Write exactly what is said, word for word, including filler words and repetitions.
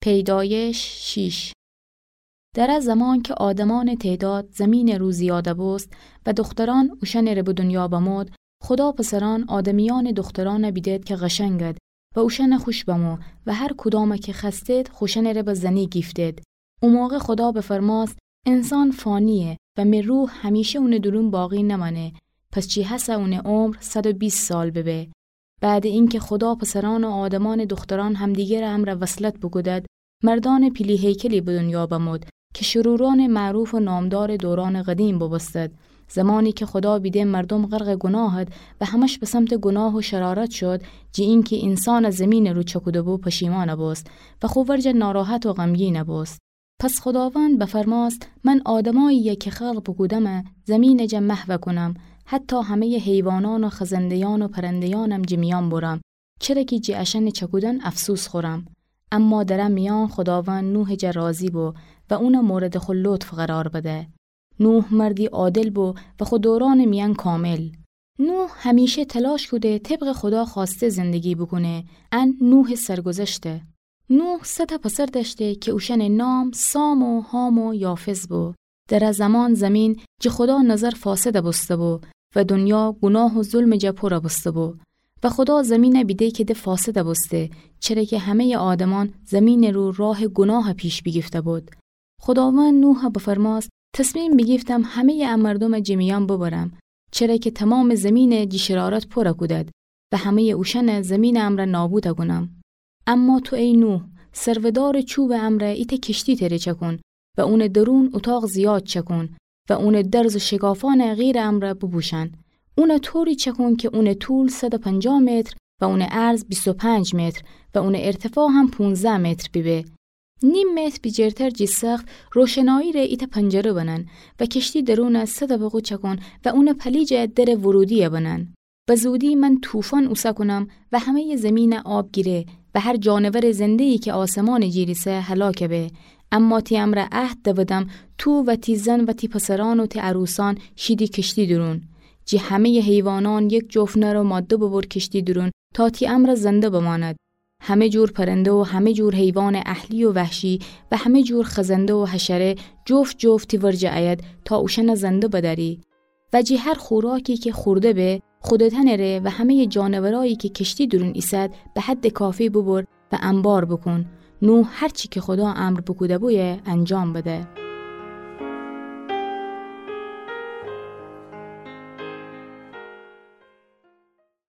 پیدایش شیش. در ا زمان کی آدمأنٚ تعداد زمینٚ رو زیادَ بوست و دخترأن اوشأنٚره به دنیا بمود، خودا پسرأن آدمیأنٚ دخترأنَ بیدد کی قشنگد و اوشأنَ خوش بمو و هر کدامَ کی خوأستد خوشأنٚره به زنی گیفتد. او موقع خودا بفرمأست: انسان فانییه و می روح همیشه اونٚ دورون باقی نمأنه. پس چی هسه اونٚ عمر صد و بیست سال ببه. بعدٚ اینکی خودا پسرأن و آدمأنٚ دخترأن همدیگرٚ امرأ وصلت بوکودد، مردأنٚ پیلی هیکلی به دنیا بمود کی شرورأنٚ معروف و نامدارٚ دورأنٚ قدیم بوبوستد. زمانی کی خودا بیده مردوم غرقٚ گوناهد و همه‌ش به سمتٚ گوناه و شرارت شد، جٚه اینکی اینسانَ زمینٚ رو چکوده‌بو، پشیمأن بوست و خو ورجه ناراحت و غمگین بوست. پس خوداوند بفرمأست: من آدمأییی کی خلق بوکودم زمینٚ جا محو کونم، حتی همه‌یٚ حیوانأن و خزنده‌یأن و پرنده‌یأنم جٚه میأن بورم، چره کی جٚه اشأنٚ چکودن افسوس خورم. اما در ا میأن خوداوند نوحٚ جا راضی بو و اونَ موردٚ خو لطف قرار بده. نوح مردی عادل بو و خو دورأنٚ میأن کامل. نوح همیشه تلاش کوده طبقٚ خودا خوأسته زندگی بوکونه. ان نوحٚ سرگذشته. نوح سه تأ پسر دأشته کی اوشأنٚ نام سام و حام و یافث بو. در ا زمان زمین جٚه خودا نظر فاسد بوسته‌بو و دنیا گوناه و ظلمٚ جا پور بوسته‌بو. و خودا زمینَ بیده کی ده فاسد بوسته، چره کی همه‌یٚ آدمأن زمینٚ رو راه گوناه پیش بیگیفته‌بود. خوداوند نوحَ بفرمأست: تصمیم بیگیفتم همه‌یٚ ا مردومَ جٚه میأن ببرم، چره کی تومامٚ زمینَ جٚه شرارت پور کودد و همه‌یٚ اوشأنَ زمینٚ امرأ نابود کونم. اما تو ای نوح، سرودارٚ چوبٚ امرأ ایتأ کشتی تره چکون و اونٚ درون اوطاق زیاد چکون و اونٚ درز و شکافأنَ قیرٚ امرأ بوبوشأن. اونَ طوری چکون کی اونٚ طول صد و پنجاه متر و اونٚ عرض بیست و پنج متر و اونٚ ارتفاع هم پونزده متر بیبه. نیم متر بیجرتر جٚه سقف روشنایی ره ایتأ پنجره بنن و کشتی درونَ سه طبقه چکون و اونٚ پلیجَ درٚ ورودی‌یَ بنن. به زودی من طوفان اوسه کونم و همه‌یٚ زمینَ آب گیره و هر جانورٚ زنده‌یی کی آسمانٚ جیر ایسه هلاک به. اما تی امرأ عهد دودم، تو و تی زن و تی پسرأن و تی عروسأن شیدی کشتی دورون. جٚه همه‌یٚ حیوانأن یک جفت نر و ماده ببر کشتی دورون تا تی امرأ زنده بماند. همه جور پرنده و همه جور حیوانٚ اهلی و وحشی و همه جور خزنده و حشره جفت جفت تی ورجه ایید تا اوشأنَ زنده بدأری. و جٚه هر خوراکی کی خورده به، خودتأنٚ ره و همه‌یٚ جانورایی کی کشتی دورون ایسد به حدٚ کافی ببر و انبار بوکون. نوح هر چی کی خودا امر بوکوده‌بویه انجام بده.